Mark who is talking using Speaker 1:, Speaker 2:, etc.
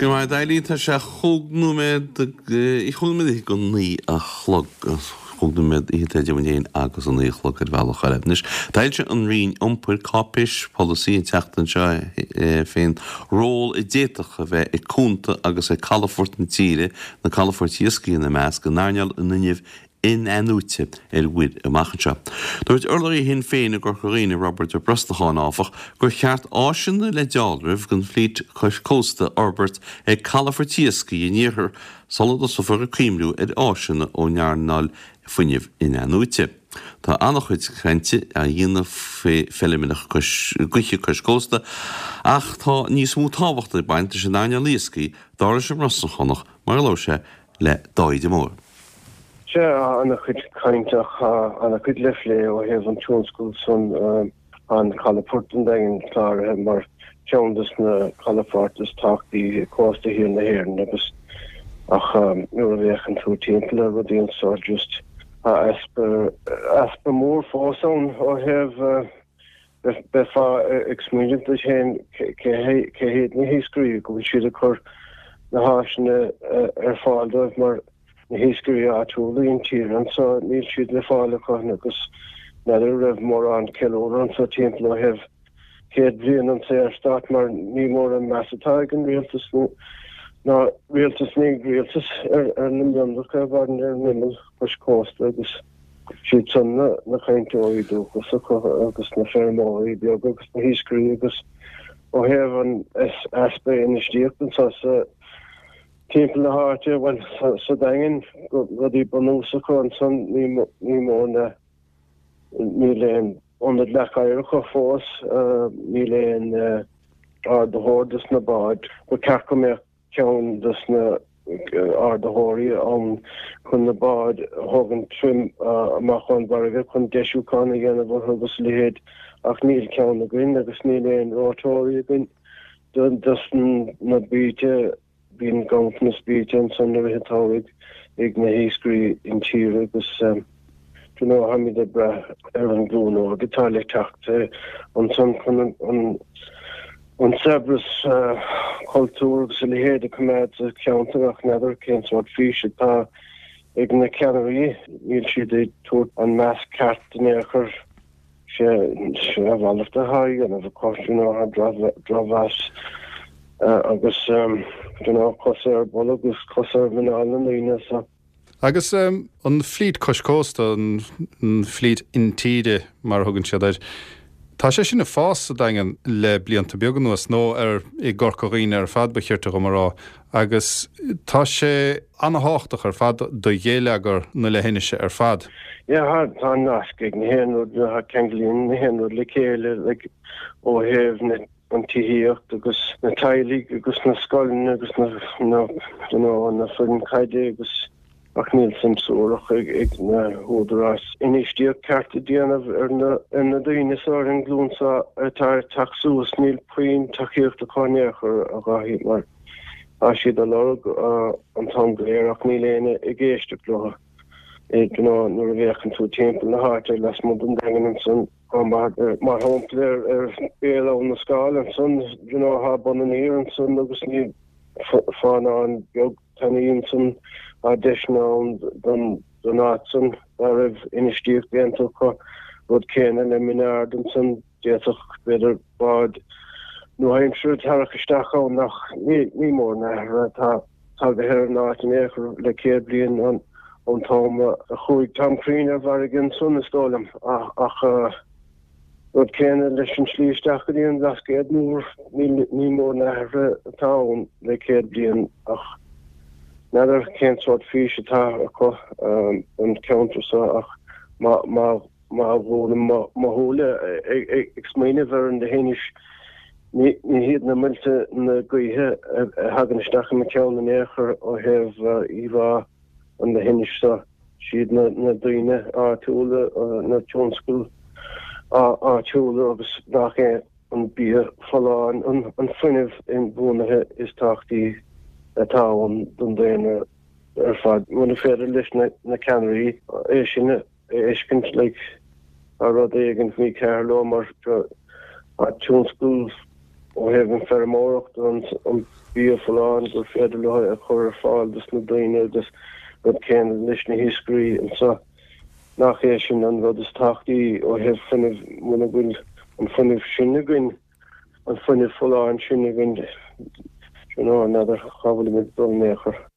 Speaker 1: Go raibh maith agat Eileen, tá sé chúig nóiméad, chúig nóiméad fhichead go naoi a chlog, chúig nóiméad fhichead idir muid féin agus a naoi a chlog ar bhealach eile. Anois, d'fhoilsigh an Roinn Iompair cáipéis pholasaí an tseachtain seo fén ról a d'fhéadfadh a bheith ag cuanta agus ag calafoirt na tíre, na calafoirt iascaigh ina measc, in earnáil an fhuinnimh in-athnuaite ar mhuir amach anseo. Dúirt urlabhraí Shinn Féin i gCorca Dhuibhne, Roibeard Ó Brosnacháin, áfach, gur cheart áiseanna le dealramh don flít cois cósta a fhorbairt ag calafoirt iascaigh an iarthair sula dtosófar ag cuimhniú ar áiseanna ón earnáil fuinnimh in-athnuaite. Tá an-chuid cainte á dhéanamh faoi feilmeanna gaoithe cois cósta ach tá níos mó tábhachta ag baint leis an earnáil iascaigh, dar leis an mBrosnachánach, mar a labhair sé le Dáithí de Mór.
Speaker 2: Sea, tá ana-chuid cainte ach tá ana-chuid le phlé ó thaobh an tionscail san. Tá an calafort an Daingin cláraithe mar cheann des na calafoirt is tábhachtaí ag cósta thiar na hÉireann agus ach nuair a bhféachann tú timpeall ar rudaí anso just tá easpa easpa mór fós ann ó thaobh Bheifeá ag smaoineamh duit féin cé hiad na hiascairí go bhfuil siad ag cur na háiseanna ar fáil dóibh mar na hiascairí áitiúla intíre anso níl siad le fáil acu agus n'fheadar an raibh mórán ceiliúradh anso timpeall ó thaobh 100 bliain an Saorstát mar ní mór an meas atá ag an rialtas ná rialtas na rialtas ar na mionlacha a mhaireann ar an imeall cois cósta agus Siad san na cainteoirí dúchasacha agus na feirmeoirí beaga agus na hiascairí agus ó thaobh an easpa infheistíocht anso sa timpeall na háite, bhuel sa Daingean, rudaí bunúsacha ansan ní mór na níl aon ionad leac oighir acu fós, níl aon ardaitheoir dos na báid. Ba cheart go mbeadh ceann dos na ardaitheoirí ann chun na báid a thógaint amach ón bhfarraige chun deisiúchán a dhéanamh orthu agus a leithéid ach níl ceann againn agus níl aon reoiteoirí againn dos na baoite. Bíonn ganntanas baoite ansan i rith an tsamhraidh ag na hiascairí intíre agus you know táimid ag brath ar an ghlúin óg atá le teacht ansan chun an an saibhreas cultúir agus a leithéid a choimeád sa cheantar ach n'fheadar cén sórt fís atá ag na ceannairí. Níl siad ag tabhairt an meas ceart in aon chor. Sé a mhalairt atá á dhéanamh acu, you know, drochmheas agus you know, cosa ar bolg agus cosa ar mhuineál na ndaoine so.
Speaker 3: Agus an flít cois cósta, an flít intíre mar a thugann siad air, tá sé sin ag fás sa Daingean le blianta beaga anuas, nó ar i gCorca Dhuibhne ar fad ba chirte dhom a rá, agus tá sé ana-thábhachtach ar fad do gheilleagar na leithinise ar fad.
Speaker 2: Yeah, tá nasc ag na haon rud, ceanglaíonn na haon rud le chéile like ó thaobh na an tithíocht agus na teaghlaigh agus na scoileanna agus na na you know na foireann caide agus ach níl suim suarach ag ag na húdaráis infheistíocht ceart a dhéanamh ar na ar na daoine seo ar an nglúin seo atá ag teacht suas níl puinn tacaíocht acu in aon chor a Dháithí mar tá siad á lorg an t-am go léir ach níl éinne ag éisteacht leo you know nuair a bhféachann tú timpeall na háite lasmuigh den Daingean ansan Mar shampla ar Bhéal Abhann na Scáil ansan, you know, thá Bun an Iúir ansan agus ní fánán beag tanaí ansan, thá deiseanna ann don áit san dá raibh infheistíocht déanta acu. Rud céanna le Min Ard ansan, d'fhéadfadh b'fhéidir bád nua-aimseartha tarrac isteach ann ach ní mór na hathruithe atá tagaithe ar an áit in aon chor le 100 bliain ón t-am a chuaigh Tom Crean ar bhfarraige ansan, is dóigh liom. Ach rud céanna leis an slí isteach go dtí an Bhlascaod Mór, ní mór na hathruithe atá ann le 100 bliain ach n'fheadar cén sórt fís atá acu don cheantar seo ach má Má dhúnaim mo shúile ag smaoineamh ar an leithinis, ní hiad na muilte na gaoithe a thagann isteach i mo cheann in aon chor ó thaobh íomhá an leithinis seo. Siad na daoine áitiúla, na tionscail áitiúla agus nach é an bia folláin, an fuinneamh inbhuanaithe is tábhachtaí atá ann don daonra ar fad. Muna féidir leis na ceannairí é sin a fheiscint like tá rud éigin mícheart leo mar tá tionscal. Ó thaobh an feirmeoireacht, an bia folláin gur féidir leo a chur ar fáil dos na daoine agus rud céanna leis na hiascairí anseo. Nach é sin an rud is tábhachtaí ó thaobh fuinnimh, muna bhfuil an fuinneamh sin againn, an fuinneamh folláin sin againn, you know, n'fheadar cá bhfuilimid ag dul in aon chor.